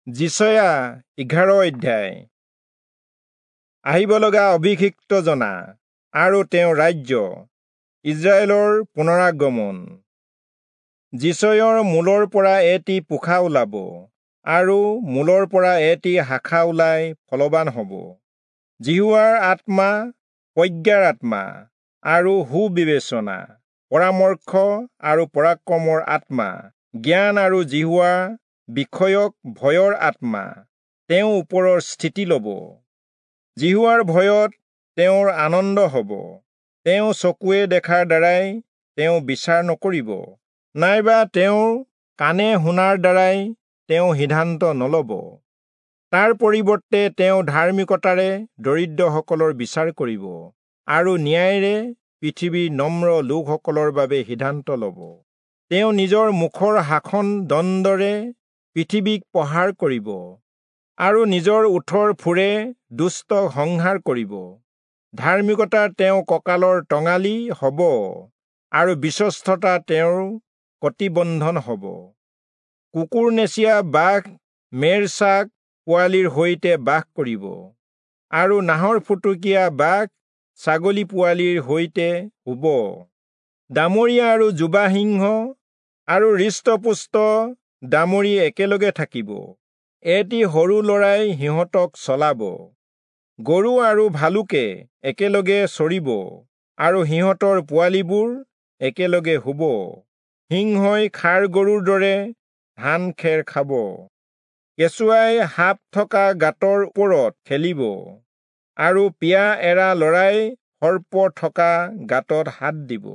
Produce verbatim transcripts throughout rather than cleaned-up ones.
যিচয়া এঘাৰ অধ্যায়। আহিব লগা অভিষিক্ত জনা আৰু তেওঁৰ ৰাজ্য, ইস্ৰায়েলৰ পুনৰাগমন। যিচয়ৰ মূলৰ পৰা এটি পোখা ওলাব আৰু মূলৰ পৰা এটি শাখা ওলাই ফলৱান হ'ব। যিহোৱাৰ আত্মা প্ৰজ্ঞাৰ আত্মা আৰু সুবিবেচনা, পৰামৰ্শ আৰু পৰাক্ৰমৰ আত্মা, জ্ঞান আৰু যিহোৱা বিষয়ক ভয়ৰ আত্মা তেওঁ ওপৰৰ স্থিতি ল'ব। যিহোৱাৰ ভয়ত তেওঁৰ আনন্দ হ'ব। তেওঁ চকুৱে দেখাৰ দ্বাৰাই তেওঁ বিচাৰ নকৰিব, নাইবা তেওঁৰ কাণে শুনাৰ দ্বাৰাই তেওঁ সিদ্ধান্ত নল'ব। তাৰ পৰিৱৰ্তে তেওঁ ধাৰ্মিকতাৰে দৰিদ্ৰসকলৰ বিচাৰ কৰিব আৰু ন্যায়েৰে পৃথিৱীৰ নম্ৰ লোকসকলৰ বাবে সিদ্ধান্ত ল'ব। তেওঁ নিজৰ মুখৰ শাসন দণ্ডৰে পৃথিৱীক প্ৰহাৰ কৰিব আৰু নিজৰ ওঁঠৰ ফুৰে দুষ্টক সংহাৰ কৰিব। ধাৰ্মিকতা তেওঁ কঁকালৰ টঙালি হ'ব আৰু বিশ্বস্ততা তেওঁৰ কটিবন্ধন হ'ব। কুকুৰনেচীয়া বাঘ মেৰছাক পোৱালিৰ সৈতে বাস কৰিব আৰু নাহৰফুটুকীয়া বাঘ ছাগলী পোৱালিৰ সৈতে শুব। দামৰীয়া আৰু যুৱা সিংহ আৰু হৃষ্টপুষ্ট দামৰি একেলগে থাকিব। এটি সৰু ল'ৰাই সিহঁতক চলাব। গৰু আৰু ভালুকে একেলগে চৰিব আৰু সিহঁতৰ পোৱালিবোৰ একেলগে শুব। সিংহই ষাঁড় গৰুৰ দৰে ধান খেৰ খাব। কেঁচুৱাই সাপ থকা গাঁতৰ ওপৰত খেলিব আৰু পিয়া এৰা ল'ৰাই সৰ্প থকা গাঁতত হাত দিব।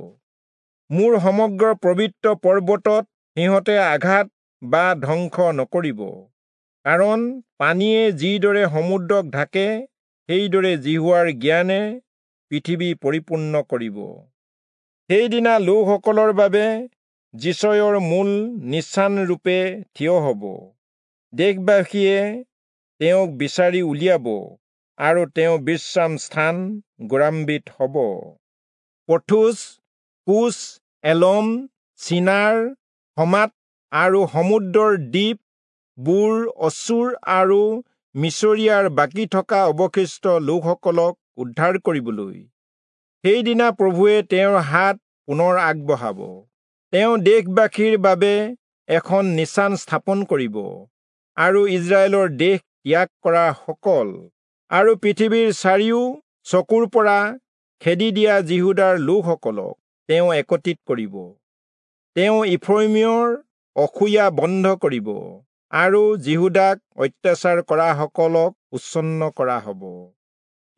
মোৰ সমগ্ৰ পবিত্ৰ পৰ্বতত সিহঁতে আঘাত বা ধ্বংস নকৰিব, কাৰণ পানীয়ে যিদৰে সমুদ্ৰক ঢাকে, সেইদৰে যিহোৱাৰ জ্ঞানে পৃথিৱী পৰিপূৰ্ণ কৰিব। সেইদিনা লোকসকলৰ বাবে যিচয়ৰ মূল নিচানৰূপে থিয় হ'ব। দেশবাসীয়ে তেওঁক বিচাৰি উলিয়াব আৰু তেওঁ বিশ্ৰাম স্থান গৌৰৱান্বিত হ'ব। পথুচ, কুচ, এলম, চিনাৰ, হমাত আৰু সমুদ্ৰৰ দ্বীপ বোৰ অচূৰ আৰু মিচৰীয়াৰ বাকী থকা অৱশিষ্ট লোকসকলক উদ্ধাৰ কৰিবলৈ সেইদিনা প্ৰভুৱে তেওঁৰ হাত পুনৰ আগবঢ়াব। তেওঁ দেশবাসীৰ বাবে এখন নিচান স্থাপন কৰিব আৰু ইস্ৰায়েলৰ দেশ ত্যাগ কৰা সকল আৰু পৃথিৱীৰ চাৰিও চকুৰ পৰা খেদি দিয়া যিহূদাৰ লোকসকলক তেওঁ একত্ৰিত কৰিব। তেওঁ ইফ্ৰয়িমৰ অসূয়া বন্ধ কৰিব আৰু যিহূদাক অত্যাচাৰ কৰাসকলক উচ্ছন্ন কৰা হ'ব।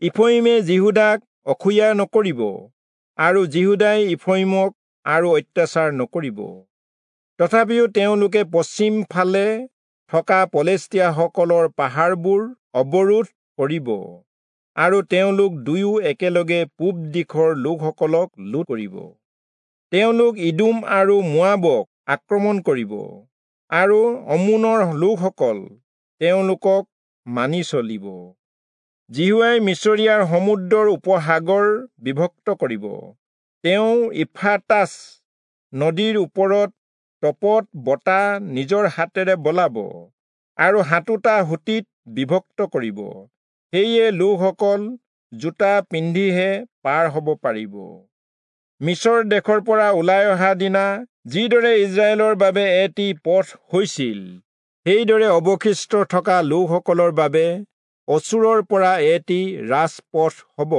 ইফ্ৰয়িমে যিহূদাক অসূয়া নকৰিব আৰু যিহূদাই ইফ্ৰয়িমক আৰু অত্যাচাৰ নকৰিব। তথাপিও তেওঁলোকে পশ্চিম ফালে থকা পলেষ্টীয়াসকলৰ পাহাৰবোৰ অৱৰোধ কৰিব আৰু তেওঁলোক দুয়ো একেলগে পূব দিশৰ লোকসকলক লুট কৰিব। তেওঁলোক ইদোম আৰু মোৱাবক আক্ৰমণ কৰিব আৰু অম্মোনৰ লোকসকল তেওঁলোকক মানি চলিব। যিহোৱাই মিচৰীয়াৰ সমুদ্ৰৰ উপসাগৰ বিভক্ত কৰিব। তেওঁ ইউফ্ৰেটাছ নদীৰ ওপৰত তপত বতাহ নিজৰ হাতেৰে বলাব আৰু সাতোটা সুঁতিত বিভক্ত কৰিব। সেয়ে লোকসকল জোতা পিন্ধিহে পাৰ হ'ব পাৰিব। মিচৰ দেশৰ পৰা ওলাই অহা দিনা যিদৰে ইস্ৰায়েলৰ বাবে এটি পথ হৈছিল, সেইদৰে অৱশিষ্ট থকা লোকসকলৰ বাবে অচূৰৰ পৰা এটি ৰাজপথ হ'ব।